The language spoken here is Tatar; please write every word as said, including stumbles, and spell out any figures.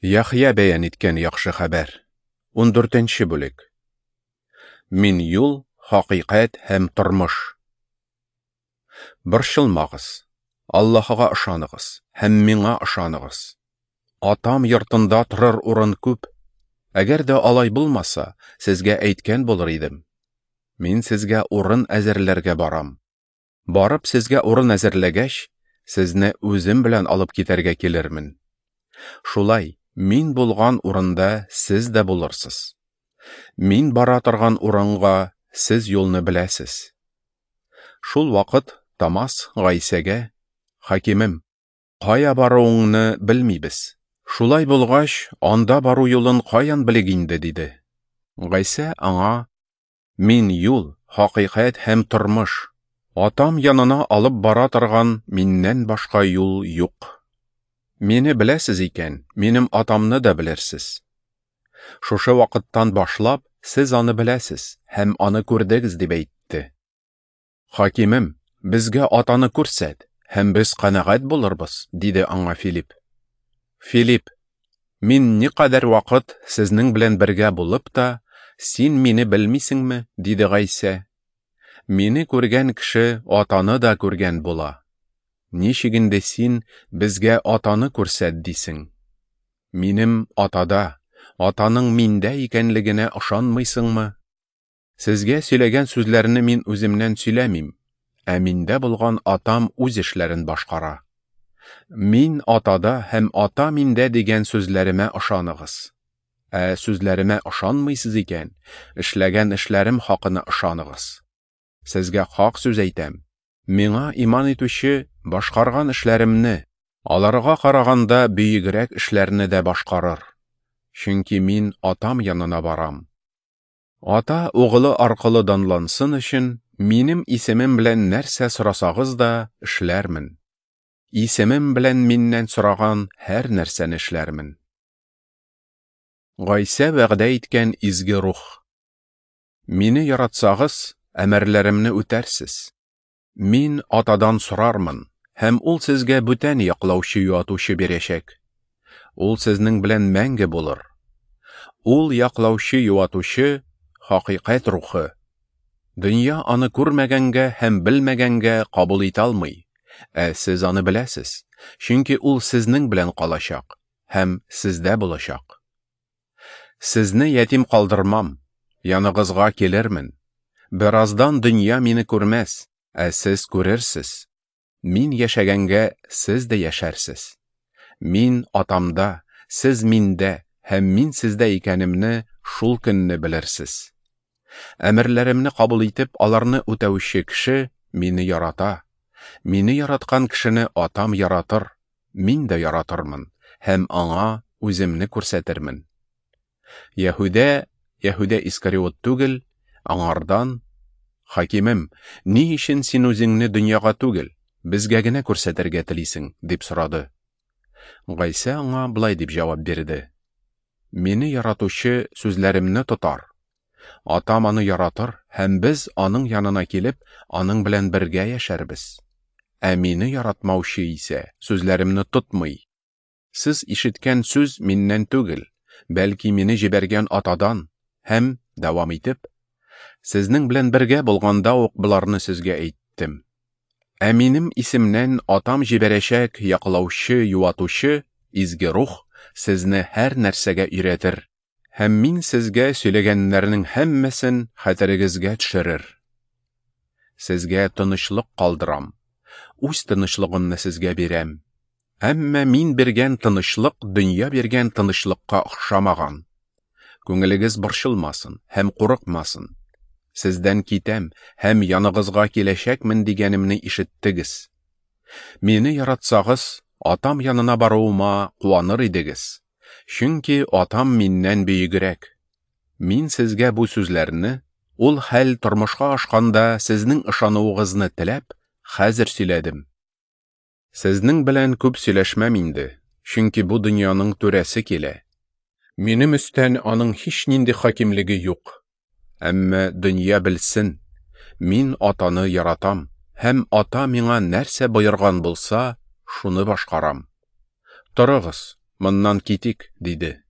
Яхъя бәян иткән яхшы хәбәр. Ундүртенче бүлек. Мин юл, хакыйкать һәм тормыш. Борчылмагыз, Аллаһыга ышаныгыз һәм миңа ышаныгыз. Атам йортында торыр урын күп. Әгәр дә алай булмаса, сезгә әйткән булыр идем. Мин сезгә урын әзерләргә барам. Барып сезгә урын әзерләгәч, сезне үзем белән алып китәргә килермен. Шулай, мин булган урында сез дә булырсыз. Мин бара торган урынга сез юлны беләсез. Шул вакыт Томас Гайсәгә: "Хакимем, кая баруыңны белмибез. Шулай булгач, анда бару юлын каян белик инде?" диде. Гайсә аңа: "Мин юл, хакыйкать һәм тормыш. Атам янына алып бара торган миннән башка юл юк. Мине беләсез икән, минем Атамны да белерсез. Шушы вакыттан башлап сез аны беләсез һәм аны күрдегез", дип әйтте. "Хакимем, безгә Атаны күрсәт, һәм без канәгать булырбыз", диде аңа Филипп. "Филипп, мин никадәр вакыт сезнең белән бергә булып та, син мине белмисеңме?" диде Гайсә. "Мине күргән кеше Атаны да күргән була. Ничек инде син безгә Атаны күрсәт дисең? Минем Атада, Атаның миндә икәнлегенә ышанмыйсыңмы? Сезгә сөйләгән сүзләрне мин үземнән сөйләмим, ә миндә булган Атам үз эшләрен башкара. Мин Атада һәм Ата миндә дигән сүзләремә ышаныгыз. Ә сүзләремә ышанмыйсыз икән, эшләгән эшләрем хакына ышаныгыз. Сезгә хак сүз әйтәм: миңа иман итүче башкарган эшләремне, аларга караганда бөегрәк эшләрне дә башкарыр. Чөнки мин Атам янына барам. Ата угылы аркылы данлансын өчен, минем исемем белән нәрсә сорасагыз да эшләрмен. Исемем белән миннән сораган һәр нәрсәне эшләрмен." Гайсә вәгъдә иткән изге рух. Мине яратсагыз, әмерләремне үтәрсез. Мин Атадан сорармын, һәм ул сезгә бүтән яклаучы юатучы бирәчәк. Ул сезнең белән мәңге булыр. Ул яклаучы юатучы хакыйкать рухы. Дөнья аны күрмәгәнгә һәм белмәгәнгә кабул итә алмый, ә сез аны беләсез, чөнки ул сезнең белән калачак һәм сездә булачак. Сезне ятим калдырмам, яныгызга килермен. Бераздан дөнья мине күрмәс, ә сез күрерсез. Мин яшәгәнгә сез дә яшәрсез. Мин Атамда, сез миндә һәм мин сездә икәнемне шул көнне белерсез. Әмерләремне кабул итеп, аларны үтәүче кеше мине ярата. Мине яраткан кешене Атам яратыр, мин дә яратырмын һәм аңа үземне күрсәтермен." Яһүдә, Яһүдә Искариот түгел, аңардан: "Хакимем, ни өчен син үзеңне дөньяга түгел, безгә генә күрсәтергә телисең?" дип сорады. Гайсә аңа болай дип җавап бирде: "Мине яратучы сүзләремне тотар. Атам аны яратыр, һәм без аның янына килеп, аның белән бергә яшәрбез. Ә мине яратмаучы исә сүзләремне тотмый. Сез ишеткән сүз миннән түгел, бәлки мине җибәргән Атадан." Һәм дәвам итеп: "Сезнең белән бергә булганда ук боларны сезгә әйттем. Ә минем исемнән Атам җибәрәчәк яклаучы юатучы изге рух сезне һәр нәрсәгә өйрәтер, һәм мин сезгә сөйләгәннәрнең һәммәсен хәтерегезгә төшерер. Сезгә тынычлык калдырам, үз тынычлыгымны сезгә бирәм. Әмма мин биргән тынычлык дөнья биргән тынычлыкка охшамаган. Күңелегез борчылмасын һәм курыкмасын. Сездән китәм һәм яныгызга киләчәкмен дигәнемне ишеттегез. Мине яратсагыз, Атам янына баруыма куаныр идегез, чөнки Атам миннән бөегрәк. Мин сезгә бу сүзләрне, ул хәл тормышка ашканда сезнең ышануыгызны теләп, хәзер сөйләдем. Сезнең белән күп сөйләшмәм инде, чөнки бу дөньяның түрәсе килә. Минем өстән аның һичнинди хакимлеге юк. Әмма дөнья белсен, мин Атаны яратам, һәм Ата миңа нәрсә боерган булса, шуны башкарам. Торыгыз, моннан китик, – диде.